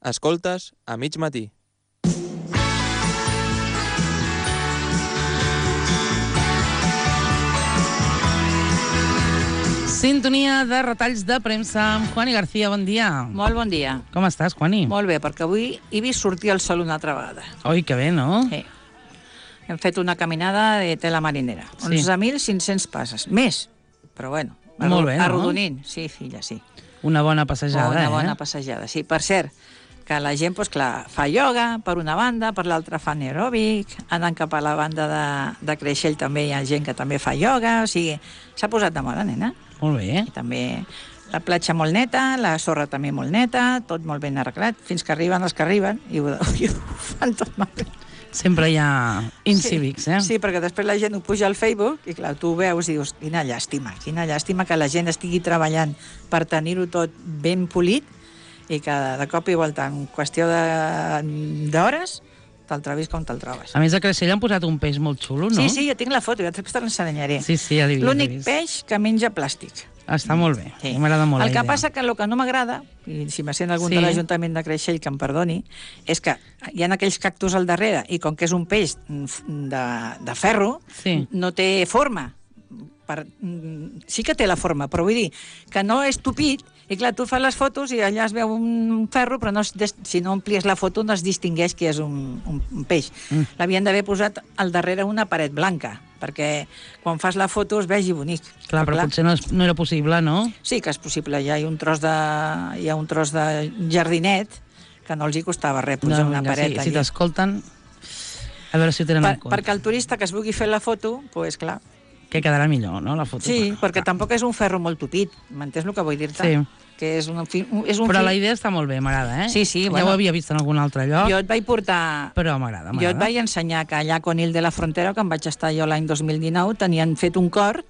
Escoltes a mig matí. Sintonia de retalls de premsa amb Juani García, bon dia. Molt bon dia. Com estàs, Juani? Molt bé, perquè avui he vist sortir el sol una altra vegada. Oi, que bé, no? Sí. Hem fet una caminada de tela marinera. Sí. 11.500 passes. Més, però bueno. Molt bé, no? Arrodonint. Sí, filla, sí. Una bona passejada, Una bona passejada, sí. Per cert, que la gent, doncs clar, fa ioga per una banda, per l'altra fa aeròbic, anant cap a la banda de Creixell també hi ha gent que també fa ioga, o sigui, s'ha posat de moda, nena. Molt bé. I també la platja molt neta, la sorra també molt neta, tot molt ben arreglat, fins que arriben els que arriben i ho fan tot malament. Sempre hi ha incívics, eh? Sí, perquè després la gent ho puja al Facebook i clar, tu ho veus i dius, quina llàstima que la gent estigui treballant per tenir-ho tot ben polit i que de cop i volta, en qüestió d'hores, te'l trobis com te'l trobes. A més, a Creixell han posat un peix molt xulo, no? Sí, jo tinc la foto, ja te l'ensenyaré. Sí, ja l'he vist. L'únic peix que menja plàstic. Està molt bé, Sí. m'agrada molt la El que idea. passa que el que no m'agrada, i si me sent algun de l'Ajuntament de Creixell que em perdoni, és que hi ha aquells cactus al darrere i com que és un peix de ferro, no té forma. Sí que té la forma, però vull dir que no és tupit, i clar, tu fas les fotos i allà es veu un ferro, però si no amplies la foto no es distingueix que és un peix. L'havien d'haver posat al darrere una paret blanca, perquè quan fas la foto es vegi bonic. Clar, però potser no era possible, no? Sí que és possible, hi ha un tros de jardinet que no els hi costava res posar una paret allà. Si t'escolten, a veure si ho tenen en compte. Perquè el turista que es vulgui fer la foto, doncs clar, que quedarà millor, no, la foto? Sí, perquè tampoc és un ferro molt tupit, m'entens el que vull dir-te? Sí. Que és un Però la idea està molt bé, m'agrada, eh? Sí, ja ho havia vist en algun altre lloc. Jo et vaig portar... Però m'agrada. Jo et vaig ensenyar que allà a Conil de la Frontera, que em vaig estar jo l'any 2019, tenien fet un cor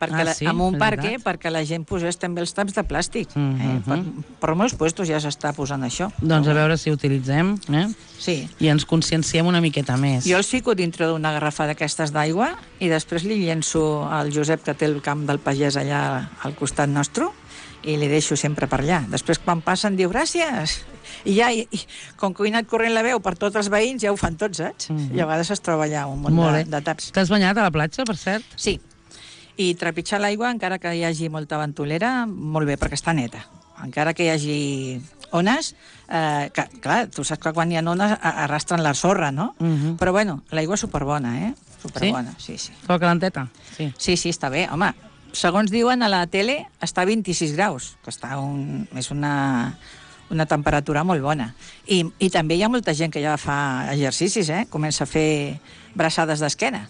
amb un parque perquè la gent posés també els taps de plàstic. Per molts puestos ja s'està posant això. Doncs a veure si ho utilitzem, Sí. I ens conscienciem una miqueta més. Jo els fico dintre d'una garrafa d'aquestes d'aigua i després li llenço al Josep, que té el camp del pagès allà al costat nostre, i li deixo sempre per allà. Després, quan passen, diu gràcies. I ja, com que he anat corrent la veu per tots els veïns, ja ho fan tots, saps? I a vegades es troba allà un munt de taps. T'has banyat a la platja, per cert? Sí. I trepitjar l'aigua, encara que hi hagi molta ventolera, molt bé, perquè està neta. Encara que hi hagi ones, clar, tu saps que quan hi ha ones arrastren la sorra, no? Però bueno, l'aigua és superbona, eh? Superbona, sí. Està calenteta? Sí, està bé. Home, segons diuen a la tele, està a 26 graus, que és una temperatura molt bona. I també hi ha molta gent que ja fa exercicis, comença a fer braçades d'esquena.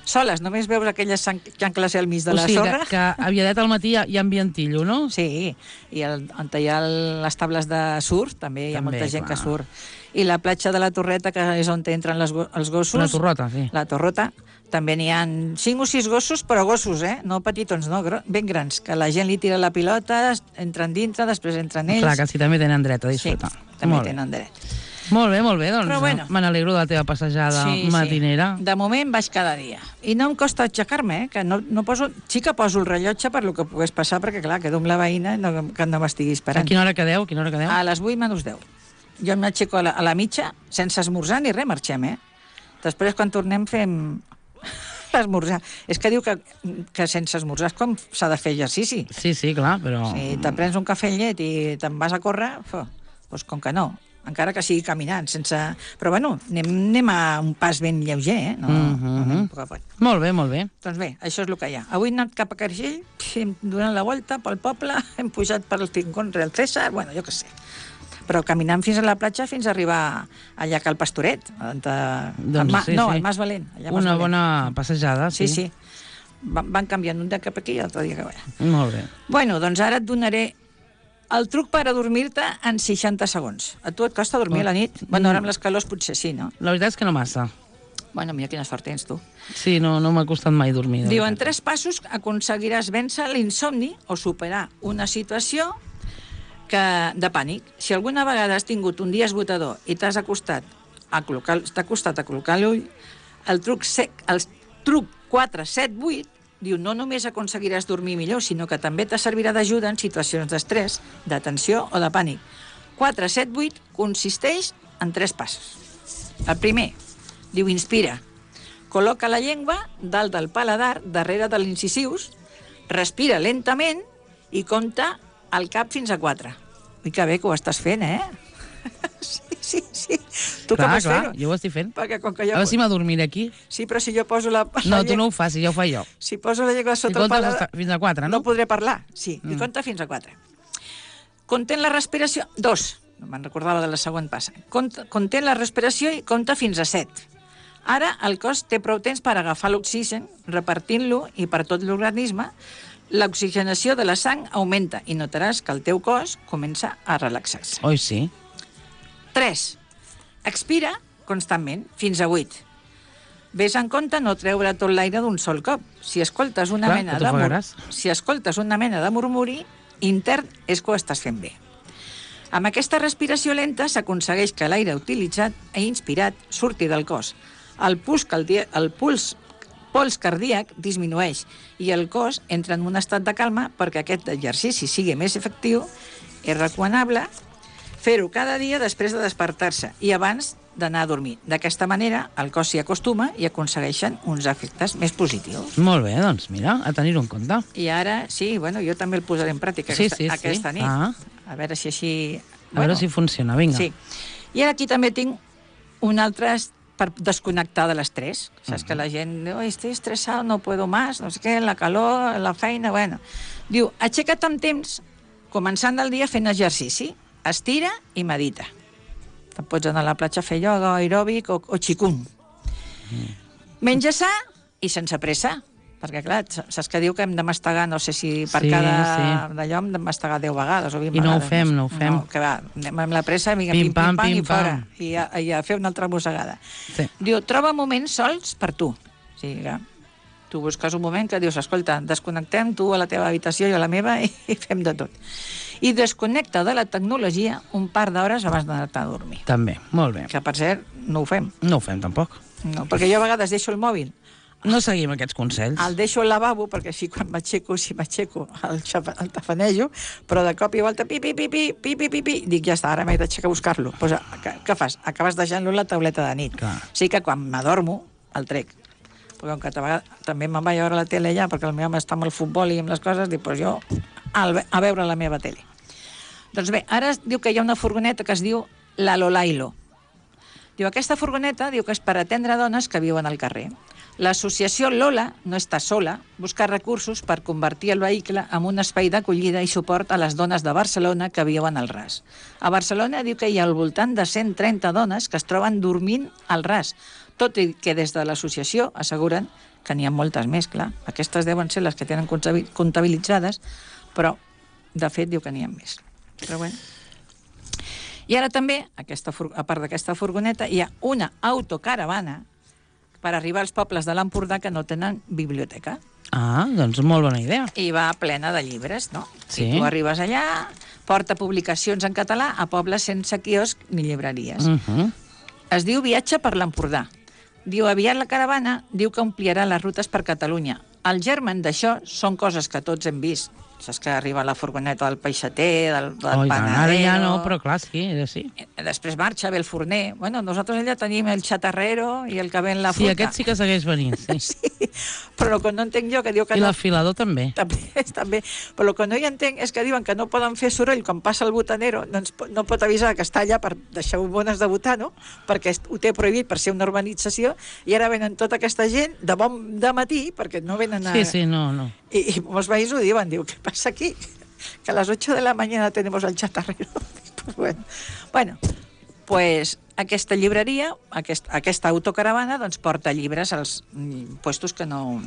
Soles, només veus aquelles xancles al mig de la sorra. O sigui, que aviadet al matí hi ha ambientillo, no? Sí, i on hi ha les tables de surf, també hi ha molta gent que surt. I la platja de la Torreta, que és on entren els gossos... La Torrota, sí. La Torrota. També n'hi ha 5 o 6 gossos, però gossos, no petitons, no, ben grans, que la gent li tira la pilota, entren dintre, després entren ells... Clar, que sí, també tenen dret a disfrutar. Sí, també tenen dret. Molt bé, doncs me n'alegro de la teva passejada matinera. De moment vaig cada dia. I no em costa aixecar-me, que no poso... Sí que poso el rellotge per lo que pogués passar, perquè clar, quedo amb la veïna que no m'estigui esperant. A quina hora quedeu? A les 8:10. Jo m'aixeco a la mitja, sense esmorzar ni res, marxem, Després, quan tornem, fem l'esmorzar. És que diu que sense esmorzar és com s'ha de fer exercici. Sí, clar, però... Si te prens un cafè amb llet i te'n vas a córrer, doncs com que no. Encara que sigui caminant, sense... Però bueno, anem a un pas ben lleuger, no anem poc a poc. Molt bé. Doncs bé, això és el que hi ha. Avui hem anat cap a Creixell, hem donat la volta pel poble, hem pujat per el Rincón del César, bueno, jo què sé. Però caminant fins a la platja fins a arribar allà a Cal Pastoret. Al Mas Valent. Una bona passejada, sí. Sí. Van canviant un dia cap aquí i l'altre dia cap allà. Molt bé. Bueno, doncs ara et donaré el truc per adormir-te en 60 segons. A tu et costa dormir a la nit? Bueno, ara amb les calors potser sí, no? La veritat és que no massa. Bueno, mira quina sort tens, tu. Sí, no m'ha costat mai dormir. Diu, en 3 passos aconseguiràs vèncer l'insomni o superar una situació de pànic. Si alguna vegada has tingut un dia esgotador i t'has acostat a col·locar l'ull, el truc 4, 7, 8 diu, no només aconseguiràs dormir millor, sinó que també te servirà d'ajuda en situacions d'estrès, de tensió o de pànic. 4, 7, 8 consisteix en 3 passos. El primer, diu inspira. Col·loca la llengua dalt del paladar, darrere de l'incisius, respira lentament i compta el cap fins a 4. Ui, que bé que ho estàs fent, Sí. Tu clar, que pots fer-ho? Jo ho estic fent. Perquè com que jo... A veure si m'adormiré aquí. Sí, però si jo poso la... No, tu no ho fas, ja ho faig jo. Si poso la llengua sota el paladar... Fins a 4, no? No podré parlar, sí. I compta fins a 4. Content la respiració... 2. No me'n recordava de la següent passa. Content la respiració i compta fins a 7. Ara el cos té prou temps per agafar l'oxigen, repartint-lo i per tot l'organisme, l'oxigenació de la sang augmenta i notaràs que el teu cos comença a relaxar-se. Oi, sí. 3. Expira constantment, fins a 8. Ves en compte no treure tot l'aire d'un sol cop. Si escoltes una mena de murmuri intern, és que ho estàs fent bé. Amb aquesta respiració lenta s'aconsegueix que l'aire utilitzat i inspirat surti del cos. El pols cardíac disminueix i el cos entra en un estat de calma. Perquè aquest exercici sigui més efectiu, és recomanable fer-ho cada dia després de despertar-se i abans d'anar a dormir. D'aquesta manera, el cos s'hi acostuma i aconsegueixen uns efectes més positius. Molt bé, doncs mira, a tenir-ho en compte. I ara, sí, bueno, jo també el posaré en pràctica aquesta nit. A veure si així... A veure si funciona, vinga. Sí. I ara aquí també tinc un altre per desconnectar de l'estrès. Saps que la gent diu, estoy estresado, no puedo más, no sé què, la calor, la feina, bueno. Diu, aixeca't amb temps, començant el dia fent exercici. Estira i medita. Te'n pots anar a la platja a fer ioga, aeròbic o qigong. Menja sa i sense pressa. Perquè, clar, saps que diu que hem de mastegar, no sé si per cada d'allò hem de mastegar 10 vegades o 20 vegades. I no ho fem, no ho fem. No, que va, anem amb la pressa, pim-pam, i fora. I a fer una altra mossegada. Sí. Diu, troba moments sols per tu. O sigui, que tu busques un moment que dius, escolta, desconnectem tu a la teva habitació i a la meva i fem de tot. I desconnecta de la tecnologia un par d'hores abans d'anar-te a dormir. També, molt bé. Que, per cert, no ho fem. No ho fem, tampoc. No, perquè jo a vegades deixo el mòbil. No seguim aquests consells. El deixo al lavabo, perquè així quan m'aixeco, el tafanejo, però de cop i volta, pi, dic, ja està, ara m'he d'aixecar a buscar-lo. Pues, què fas? Acabes deixant-lo a la tauleta de nit. Clar. Sí que quan m'adormo, el trec. Perquè com que també me'n vaig a veure la tele ja, perquè el meu home està amb el futbol i amb les coses, dic, pues jo a veure la meva tele. Doncs bé, ara diu que hi ha una furgoneta que es diu la Lolailo. Diu, aquesta furgoneta diu que és per atendre dones que viuen al carrer. L'associació Lola no està sola, busca recursos per convertir el vehicle en un espai d'acollida i suport a les dones de Barcelona que viuen al ras. A Barcelona diu que hi ha al voltant de 130 dones que es troben dormint al ras, tot i que des de l'associació asseguren que n'hi ha moltes més, clar. Aquestes deuen ser les que tenen comptabilitzades, però, de fet, diu que n'hi ha més. Però bueno. I ara també, a part d'aquesta furgoneta, hi ha una autocaravana per arribar als pobles de l'Empordà que no tenen biblioteca. Ah, doncs molt bona idea. I va plena de llibres, no? Sí. I tu arribes allà, porta publicacions en català a pobles sense quiosc ni llibreries. Es diu Viatge per l'Empordà. Diu, aviat la caravana diu que ampliarà les rutes per Catalunya. El germen d'això són coses que tots hem vist. Saps que arriba la furgoneta del peixater, del panadero... Ara ja no, però clar, sí. Després marxa, ve el forner. Bueno, nosaltres allà tenim el chatarrero i el que ven la fruta. Sí, aquest sí que segueix venint, sí. Sí, però el que no entenc jo que diu que I l'afilador també. També. Però el que no hi entenc és que diuen que no poden fer soroll quan passa el botanero, no pot avisar que està allà per deixar bones de botano, perquè ho té prohibit per ser una urbanització, i ara venen tota aquesta gent de matí, perquè no venen a... Sí, no. I molts veïns ho diuen, diu, què passa aquí? Que a las 8 de la mañana tenemos el chatarrero. Bueno, pues aquesta llibreria, aquesta autocaravana, doncs porta llibres als puestos que no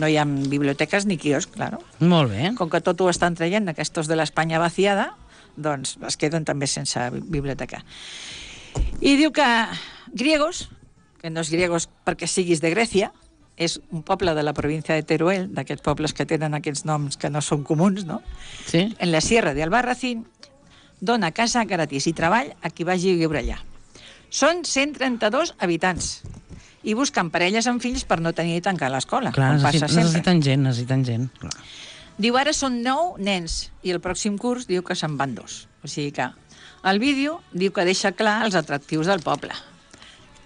hi ha biblioteques ni quiosc, claro. Molt bé. Com que tot ho estan traient d'aquestos de l'Espanya vaciada, doncs es queden també sense biblioteca. I diu que griegos, que no és griegos perquè siguis de Grècia, és un poble de la província de Teruel, d'aquests pobles que tenen aquests noms que no són comuns, no? Sí. En la Sierra de Albarracín, dona casa gratis i treball a qui vagi a viure allà. Són 132 habitants i busquen parelles amb fills per no tenir de tancar l'escola. Clar, necessiten gent. Clar. Diu, ara són 9 nens i el pròxim curs diu que se'n van 2. O sigui que El vídeo diu que deixa clar els atractius del poble.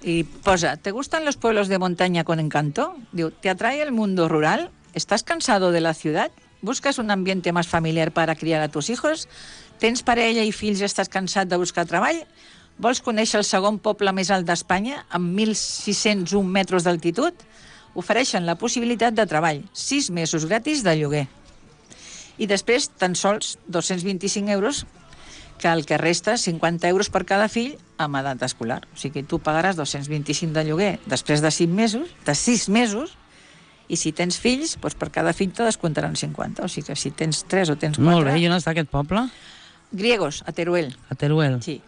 Y posa, ¿te gustan los pueblos de montaña con encanto? Diu, ¿te atrae el mundo rural? ¿Estás cansado de la ciudad? ¿Buscas un ambiente más familiar para criar a tus hijos? ¿Tens parella i fills i estàs cansat de buscar treball? Vols conèixer el segon poble més alt d'Espanya, amb 1.601 metres d'altitud? Ofereixen la possibilitat de treball, 6 mesos gratis de lloguer. I després, tan sols 225 euros, que el que resta 50 euros per cada fill amb edat escolar. O sigui que tu pagaràs 225 de lloguer després de 6 mesos, i si tens fills, doncs per cada fill te descomptaran 50. O sigui que si tens 3 o tens 4... Molt bé, i on està aquest poble? Griegos, a Teruel. A Teruel. Sí.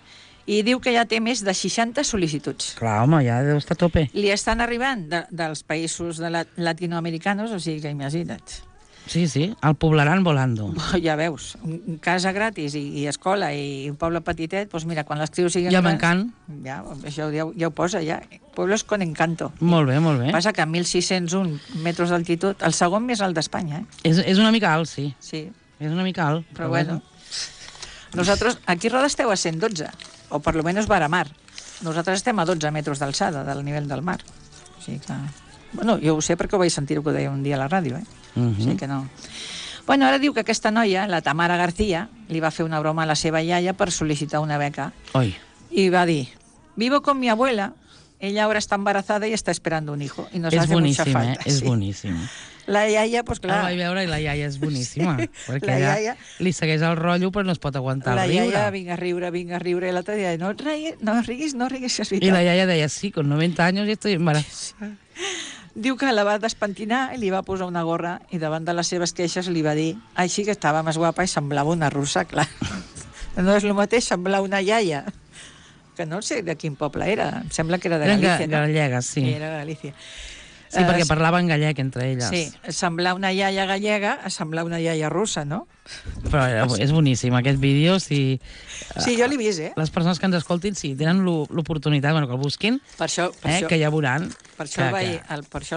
I diu que ja té més de 60 sol·licituds. Clar, home, ja deu estar a tope. Li estan arribant dels països latinoamericanos, o sigui que imagina't. Sí, el poblaran volando. Ja veus, casa gratis i escola i un poble petitet, doncs mira, quan les crios siguin... Ja m'encant. Ja, això ja ho posa, ja. Pueblos con encanto. Molt bé, molt bé. Passa que a 1.601 metres d'altitud, el segon més alt d'Espanya, És una mica alt, sí. Sí. És una mica alt. Però bueno. Nosaltres, aquí Roda esteu a 112, o per lo menos Varamar. Nosaltres estem a 12 metres d'alçada del nivell del mar. O sigui que... Bueno, jo ho sé perquè ho vaig sentir que ho deia un dia a la ràdio, O sigui que no... Bueno, ara diu que aquesta noia, la Tamara García, li va fer una broma a la seva iaia per sol·licitar una beca. Oi. I va dir, vivo con mi abuela, ella ahora está embarazada y está esperando un hijo. Y nos hace mucha falta. És boníssim. La iaia, pues clar... La vaig veure i la iaia és boníssima, perquè ella li segueix el rotllo però no es pot aguantar el riure. La iaia, vinga a riure, i l'altre dia, no riguis, és veritat. I la iaia deia, sí, con 90 años ya estoy embarazada. Diu que la va despentinar i li va posar una gorra i davant de les seves queixes li va dir així que estava més guapa i semblava una russa, clar. No és el mateix semblar una iaia, que no sé de quin poble era, em sembla que era de Galícia. Era gallega, sí. Era de Galícia. Sí, perquè parlaven gallec entre elles. Sí, semblar una iaia gallega a semblar una iaia russa, no? Però és boníssim, aquest vídeo, si... Sí, jo l'he vist, Les persones que ens escoltin, si tenen l'oportunitat, que el busquin, que ja veuran. Per això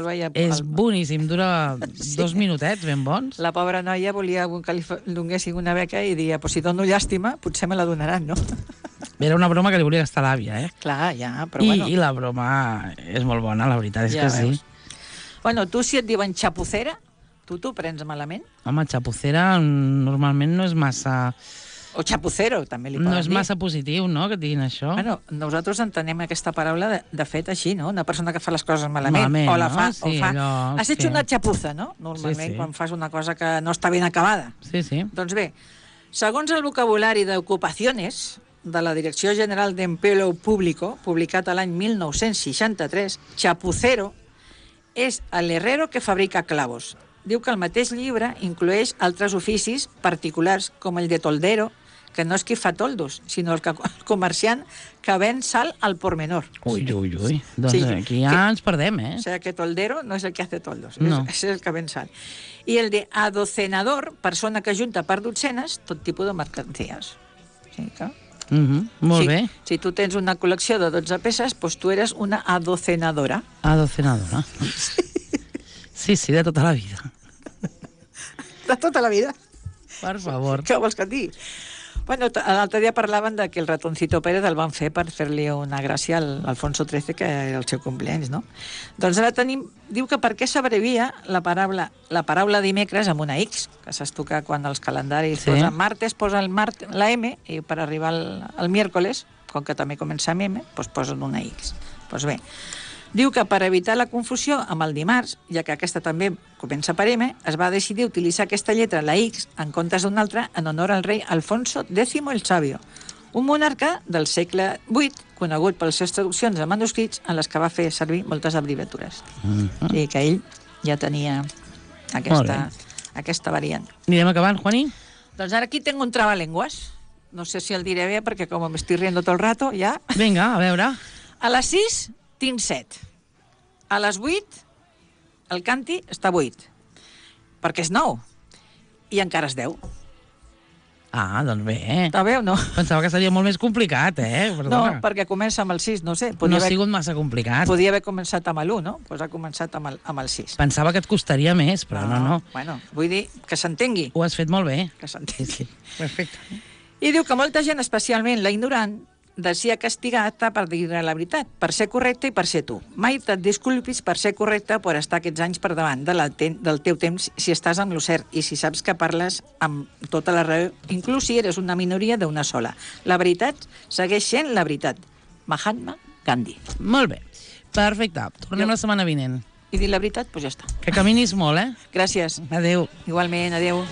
el veia... És boníssim, dura 2 minutets ben bons. La pobra noia volia que li donessin una beca i dia, pues si dono llàstima, potser me la donaran, no? Era una broma que li volia gastar l'àvia, Clar, ja, però bueno... I la broma és molt bona, la veritat és que sí. Bueno, tu si et diuen xapucera, tu t'ho prens malament? Home, xapucera normalment no és massa... O xapucero, també li poden dir. No és massa positiu, no?, que et diguin això. Bueno, nosaltres entenem aquesta paraula de fet així, no? Una persona que fa les coses malament o la fa, sí, o fa... Has hecho una chapuza, no? Normalment, quan fas una cosa que no està ben acabada. Sí, sí. Doncs bé, segons el vocabulari d'ocupaciones de la Direcció General d'Empleo Público, publicat a l'any 1963, chapucero és l'herrero que fabrica clavos. Diu que el mateix llibre inclueix altres oficis particulars, com el de toldero, que no és qui fa toldos, sinó el comerciant que ven sal al por menor. Ui. Doncs sí, aquí ja ens perdem, O sigui, que toldero no és el que hace toldos, no. És el que ven sal. I el de adocenador, persona que junta per dotzenes tot tipus de mercancies. Sí, que... Molt bé. Si tu tens una col·lecció de 12 peces, doncs tu eres una adocenadora. Adocenadora. Sí, de tota la vida. De tota la vida? Per favor. Què vols que et digui? Bueno, l'altre dia parlaven de que el ratoncito Pérez el van fer per fer-li una gràcia al Alfonso XIII, que era el seu cumpleaños, no? Doncs ara tenim... Diu que per què s'abrevia la paraula dimecres amb una X, que saps tu que quan els calendaris posen martes, posen la M, i per arribar al miércoles, com que també comença amb M, doncs posen una X. Doncs bé, diu que per evitar la confusió amb el dimarts, ja que aquesta també comença per M, es va decidir utilitzar aquesta lletra, la X, en comptes d'una altra, en honor al rei Alfonso X el Sabio, un monarca del segle VIII, conegut per les seves traduccions de manuscrits en les que va fer servir moltes abreviatures. I que ell ja tenia aquesta variant. Anirem acabant, Juani? Doncs ara aquí tengo un trabalengües. No sé si el diré bé, perquè com m'estic riendo tot el rato, ja... Vinga, a veure. A les 6 tinc 7. A les 8 el canti està buit, perquè és 9. I encara és 10. Ah, doncs bé. Està bé o no? Pensava que seria molt més complicat, Perdona. No, perquè comença amb el 6, no sé. No ha sigut massa complicat. Podia haver començat amb l'1, no? Doncs ha començat amb el 6. Pensava que et costaria més, però no. Bueno, vull dir que s'entengui. Ho has fet molt bé. Que s'entengui. Sí. Perfecte. I diu que molta gent, especialment la ignorant, sia castigada per dir la veritat, per ser correcte i per ser tu. Mai et disculpis per ser correcte o per estar aquests anys per davant del teu temps si estàs amb lo cert i si saps que parles amb tota la raó, inclús si eres una minoria d'una sola. La veritat segueix sent la veritat. Mahatma Gandhi. Molt bé. Perfecte. Tornem la setmana vinent. I dir la veritat, doncs ja està. Que caminis molt, Gràcies. Adéu. Igualment, adéu.